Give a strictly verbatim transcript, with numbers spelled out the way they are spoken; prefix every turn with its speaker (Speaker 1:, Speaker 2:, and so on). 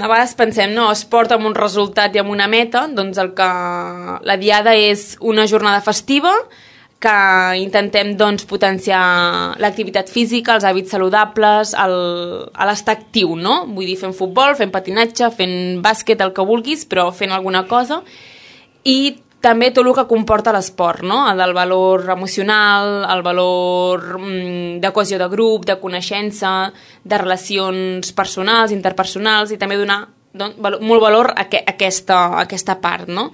Speaker 1: A vegades pensem, no, esport amb un resultat i amb una meta, doncs el que la Diada és una jornada festiva que intentem doncs, potenciar l'activitat física, els hàbits saludables, l'estar actiu, no? Vull dir, fent futbol, fent patinatge, fent bàsquet, el que vulguis, però fent alguna cosa. I també tot el que comporta l'esport, no? El valor emocional, el valor mm, de cohesió de grup, de coneixença, de relacions personals, interpersonals, i també donar doncs, molt valor a, que, a, aquesta, a aquesta part, no?